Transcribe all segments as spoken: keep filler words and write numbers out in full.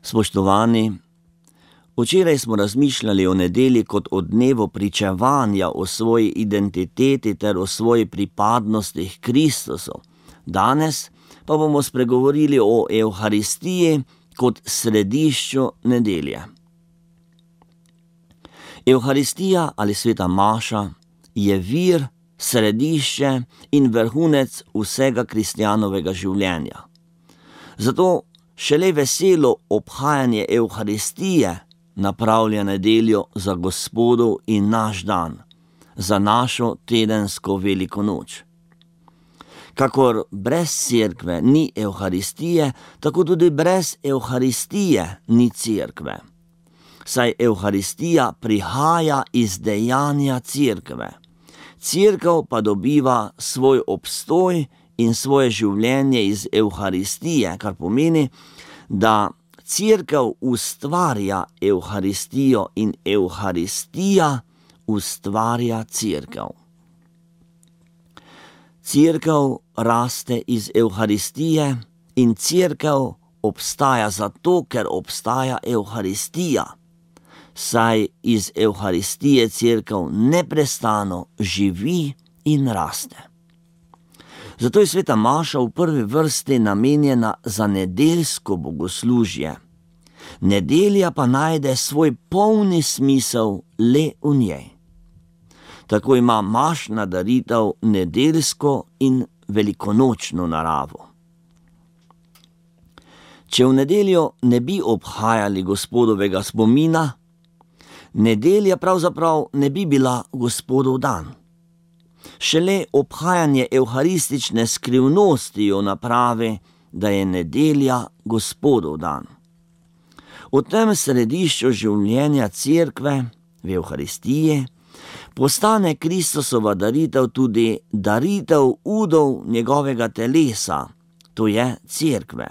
Spoštovani, včeraj smo razmišljali o nedelji kot o dnevu pričevanja o svoji identiteti ter o svoji pripadnosti k Kristusu. Danes pa bomo spregovorili o Evharistiji kot središču nedelje. Evharistija ali sveta maša je vir, središče in vrhunec vsega kristjanovega življenja. Zato šele veselo obhajanje Evharistije napravlja nedeljo za Gospodov in naš dan, za našo tedensko veliko noč. Kakor brez cerkve ni Evharistije, tako tudi brez Evharistije ni cerkve. Saj Evharistija prihaja iz dejanja cerkve. Cerkev pa dobiva svoj obstoj in svoje življenje iz Evharistije, kar pomeni, da cerkev ustvarja Evharistijo in Evharistija ustvarja cerkev. Cerkev raste iz Evharistije in cerkev obstaja zato, ker obstaja Evharistija, saj iz Evharistije cerkev neprestano živi in raste. Zato je sveta maša v prvi vrsti namenjena za nedeljsko bogoslužje. Nedelja pa najde svoj polni smisel le v njej. Tako ima mašna daritev nedeljsko in velikonočno naravo. Če v nedeljo ne bi obhajali Gospodovega spomina, nedelja pravzaprav ne bi bila Gospodov dan. Šele obhajanje evharistične skrivnosti jo napravi, da je nedelja Gospodov dan. V tem središču življenja cerkve, v Evharistiji, postane Kristusova daritev tudi daritev udov njegovega telesa, to je cerkve.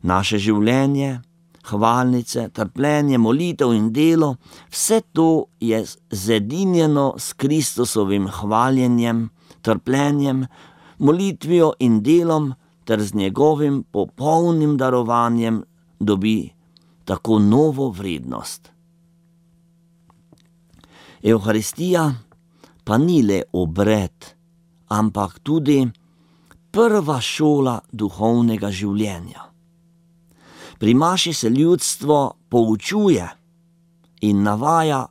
Naše življenje, hvalnice, trpljenje, molitev in delo, vse to je zedinjeno s Kristusovim hvaljenjem, trpljenjem, molitvijo in delom ter z njegovim popolnim darovanjem dobi tako novo vrednost. Evharistija pa ni le obred, ampak tudi prva šola duhovnega življenja. Pri maši se ljudstvo poučuje in navaja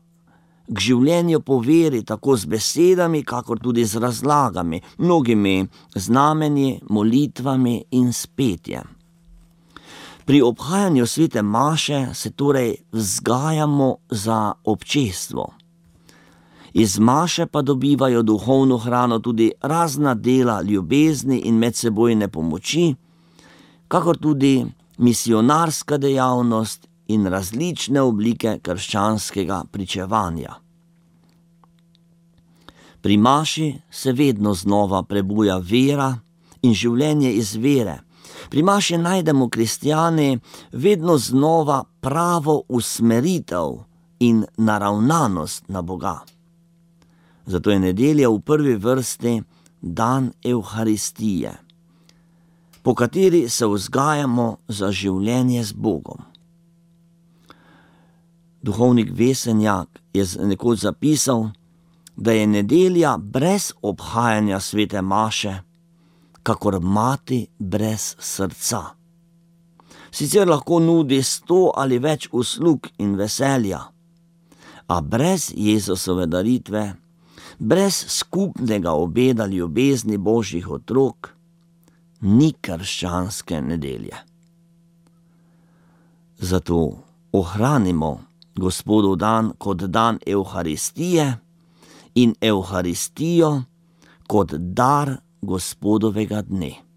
k življenju po veri tako z besedami, kakor tudi z razlagami, mnogimi znamenji, molitvami in s petjem. Pri obhajanju svete maše se torej vzgajamo za občestvo. Iz maše pa dobivajo duhovno hrano tudi razna dela ljubezni in medsebojne pomoči, kakor tudi misionarska dejavnost in različne oblike krščanskega pričevanja. Pri maši se vedno znova prebuja vera in življenje iz vere. Pri maši najdemo kristjani vedno znova pravo usmeritev in naravnanost na Boga. Zato je nedelja v prvi vrsti dan Evharistije, po kateri se vzgajamo za življenje z Bogom. Duhovnik Vesenjak je nekoč zapisal, da je nedelja brez obhajanja svete maše, kakor mati brez srca. Sicer lahko nudi sto ali več uslug in veselja, a brez Jezusove daritve, brez skupnega obeda ljubezni Božjih otrok, ni krščanske nedelje. Zato ohranimo Gospodov dan kot dan Evharistije in Evharistijo kot dar Gospodovega dne.